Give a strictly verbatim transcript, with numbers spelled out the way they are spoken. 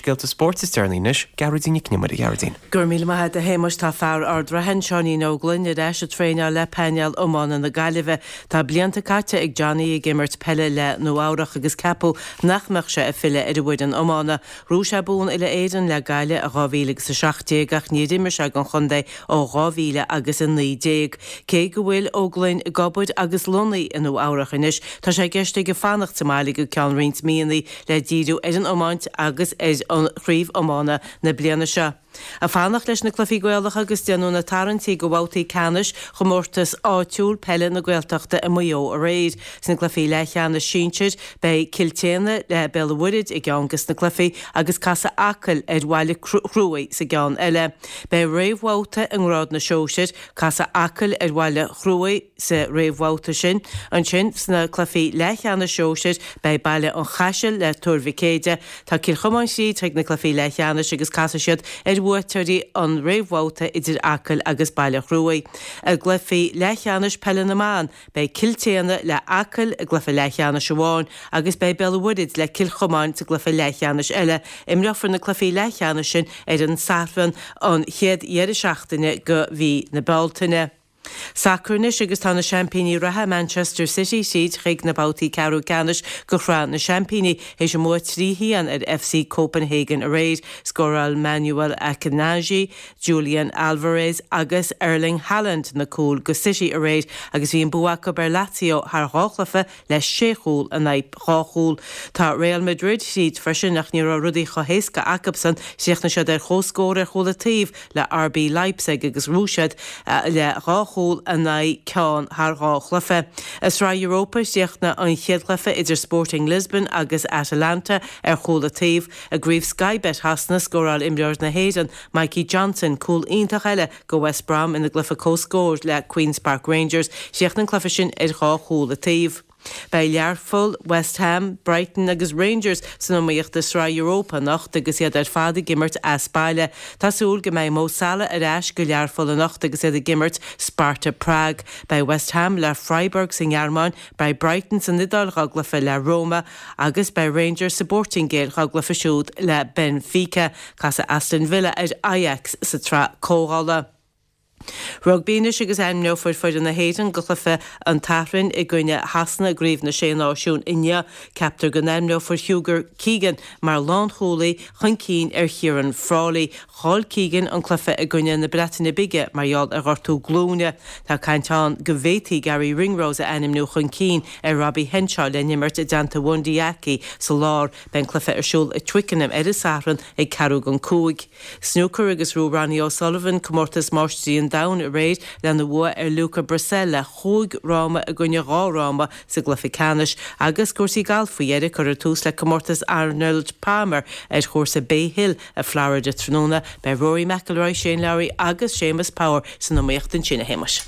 scéalta spóirt is deireanaí anois, Gearóidín Nic Con Iomaire. Gearóidín. Gur míle maith agat a Shéamais. Tá fear Ard Raithin, Seáinín Ó Gloinn, ar ais ag traenáil le painéal iomána na Gaillimhe. Tá blianta caite ag Johnny ag imirt peile le Nua Eabhrach agus ceapadh nach mbeadh sé ag filleadh ar an bhfoireann iomána. Bhuaigh sé bonn uile Éireann le Gaillimh i dhá mhíle agus a seacht déag ach níor imir sé don chontae ó dhá mhíle agus a naoi déag. Cé go bhfuil Ó Gloinn ag obair agus lonnaithe i Nua Eabhrach anois, tá sé i gceist aige fanacht sa mbaile go ceann roinnt míonna le díriú ar an iomáint agus ar an chraobh iomána na bliana seo. Ag fanacht leis na cluichí Gaelacha agus déanadh na tarraingtí do bhabhtaí ceannais chomórtas áitiúil peile na Gaeltachta i Maigh Eo aréir. Sna cluichí leathcheannais sinsir, beidh Cill tSéadhna le Béal an Mhuirthead i gceann de na cluichí agus casfaidh Acaill ar Bhaile Chruaich sa gceann eile. Beidh réamhbhabhta i ngrád na sóisir, casfaidh Acaill ar Bhaile Chruaich sa réamhbhabhta sin. Ansin, sna cluichí leathcheannais sóisir, beidh Baile an Chaisil le Tuar Mhic Éide. Tá Cill Chomáin tríd chuig na cluichí leathcheannais agus casfaidh siad ar bhuaiteoirí an réamhbhabhta idir Acaill agus Baile Chruaich. I gcluichí leathcheannais peile na mban, beidh Cill tSéadhna le Acaill i gcluiche leathcheannais amháin agus beidh Béal an Mhuirthead le Cill Chomáin sa gcluiche leathcheannais eile. Imreofar na cluichí leathcheannais sin ar an Satharn an chéad dheireadh seachtaine de mhí na Bealtaine. Sacar anois agus tá na seaimpíní reatha Manchester City tríd chuig na babhtaí ceathrú ceannais de Shraith na Seaimpíní théis a mbua trí haon ar F C Copenhagen aréir. Scóráil Manuel Akanji, Julian Alvarez agus Erling Haaland na cúil do City aréir agus bhí an bua acu ar Lazio thar dhá chluiche le sé chúl in aghaidh dhá chúl. Tá Real Madrid tríd freisin ach ní raibh rudaí chomh héasca acusan. Chríochnaigh siad ar comhscór ar chúl an taobh le R B Leipzig agus bhuaigh siad le dhá chúl in aghaidh ceann thar dhá chluiche. I Sraith Europa, chríochnaigh an chéad chluiche idir Sporting Lisbon agus Atalanta ar chúl an taobh. I gcraobh Sky Bet Shasana, scóráil imreoir na hÉireann Mikey Johnston cúl iontach eile do West Brom ina gcluiche comhscóir le Queen's Park Rangers. Chríochnaigh an cluiche sin ar dhá chúl an taobh. Beidh Learpholl, West Ham, Brighton agus Rangers san iomaíocht i Sraith Europa anocht agus iad ar fad ag imirt as baile. Tá súil go mbeidh Mo Salah ar ais do Learpholl anocht agus iad ag imirt Sparta Prague. Beidh West Ham le Freiburg sa nGearmáin, beidh Brighton san Iodáil dá gcluiche le Roma agus beidh Rangers sa bPortaingéil dá gcluiche siúd le Benfica. Casfaidh Aston Villa ar Ajax sa tsraith comhdhála. Rugbaí anois agus ainmneofar foireann na hÉireann do chluiche an tSathairn i gcoinne Shasana i gCraobh na Sé Náisiún inniu. Ceaptar go n-ainmneofar Hugo Keegan mar lánchúlaí chun cinn ar Ciarán Frawley. Chaill Keegan an cluiche i gcoinne na Breataine Bige mar gheall ar ghortú glúine. Tá caint ann go bhféadfaí Garry Ringrose a ainmniú chun cinn ar Robbie Henshaw le n-imirt i dteannta Bundee Aki sa lár. Beidh an cluiche ar siúl i Twickenham ar an Satharn ag ceathrú don cúig. Snooker agus bhuaigh Ronnie O'Sullivan comórtas máistrí an domhain aréir lena bhua ar Luca Brecel le cúig fhráma i gcoinne dhá fhráma sa gcluiche ceannais agus cúrsaí gailf faoi dheireadh cuirfear tús le comórtas Arnold Palmer ar chúrsa Bay Hill i Florida tráthnóna. Beidh Rory McIlroy, Shane Lowry agus Seamus Power san iomaíocht ansin, a Shéamais.